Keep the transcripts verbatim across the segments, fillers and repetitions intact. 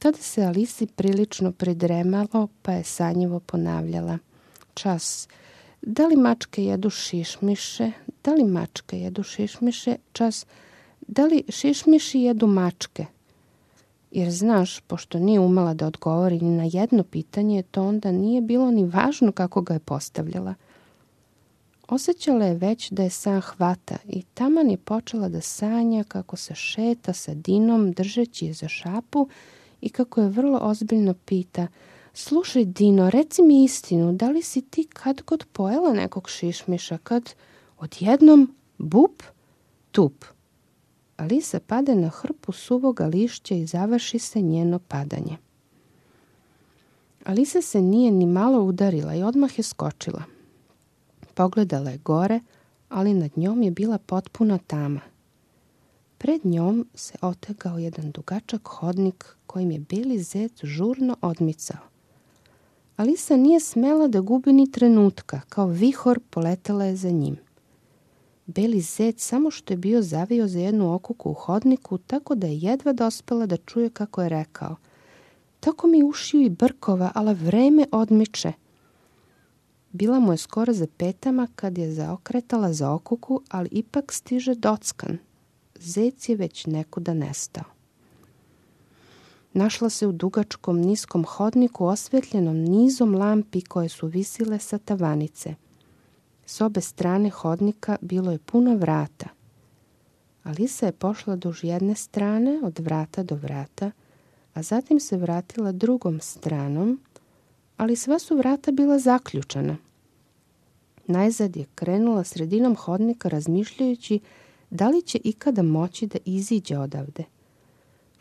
Tada se Alisi prilično pridremalo, pa je sanjivo ponavljala. Čas. Da li mačke jedu šišmiše? Da li mačke jedu šišmiše? Čas. Da li šišmiši jedu mačke? Jer znaš, pošto nije umela da odgovori ni na jedno pitanje, to onda nije bilo ni važno kako ga je postavljala. Osjećala je već da je san hvata i taman je počela da sanja kako se šeta sa Dinom držeći je za šapu i kako je vrlo ozbiljno pita: slušaj Dino, reci mi istinu, da li si ti kad god pojela nekog šišmiša, kad odjednom bup, tup. Alisa pade na hrpu suvoga lišća i završi se njeno padanje. Alisa se nije ni malo udarila i odmah je skočila. Pogledala je gore, ali nad njom je bila potpuna tama. Pred njom se otegao jedan dugačak hodnik kojim je beli zec žurno odmicao. Alisa nije smela da gubi ni trenutka, kao vihor poletela je za njim. Beli zec samo što je bio zavio za jednu okuku u hodniku, tako da je jedva dospela da čuje kako je rekao: tako mi ušiju i brkova, ala vreme odmiče. Bila mu je skoro za petama kad je zaokretala za okuku, ali ipak stiže dockan. Zec je već nekuda nestao. Našla se u dugačkom niskom hodniku osvetljenom nizom lampi koje su visile sa tavanice. S obe strane hodnika bilo je puno vrata. Alisa je pošla duž jedne strane, od vrata do vrata, a zatim se vratila drugom stranom, ali sva su vrata bila zaključana. Najzad je krenula sredinom hodnika razmišljajući da li će ikada moći da iziđe odavde.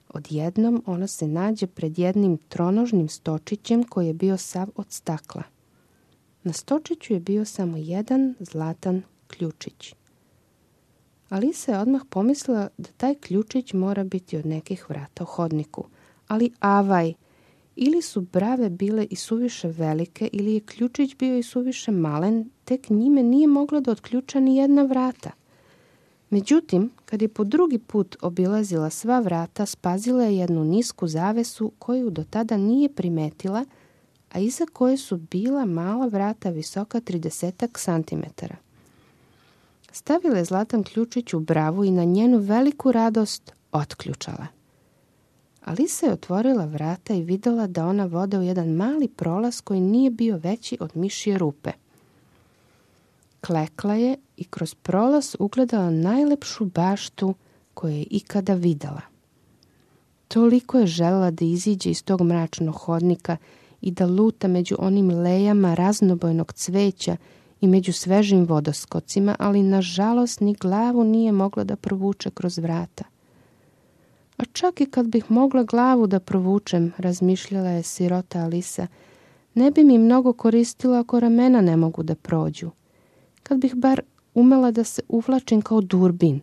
Odjednom ona se nađe pred jednim tronožnim stočićem koji je bio sav od stakla. Na stočiću je bio samo jedan zlatan ključić. Alisa je odmah pomislila da taj ključić mora biti od nekih vrata u hodniku, ali avaj, ili su brave bile i suviše velike, ili je ključić bio i suviše malen, tek njime nije mogla da otključa ni jedna vrata. Međutim, kad je po drugi put obilazila sva vrata, spazila je jednu nisku zavesu koju do tada nije primetila, a iza koje su bila mala vrata visoka tridesetak santimetara. Stavila je zlatan ključić u bravu i na njenu veliku radost otključala. Alisa je otvorila vrata i videla da ona vode u jedan mali prolaz koji nije bio veći od mišje rupe. Klekla je i kroz prolaz ugledala najlepšu baštu koju je ikada videla. Toliko je želela da iziđe iz tog mračnog hodnika i da luta među onim lejama raznobojnog cveća i među svežim vodoskocima, ali nažalost ni glavu nije mogla da provuče kroz vrata. A čak i kad bih mogla glavu da provučem, razmišljala je sirota Alisa, ne bi mi mnogo koristilo ako ramena ne mogu da prođu. Kad bih bar umela da se uvlačim kao durbin.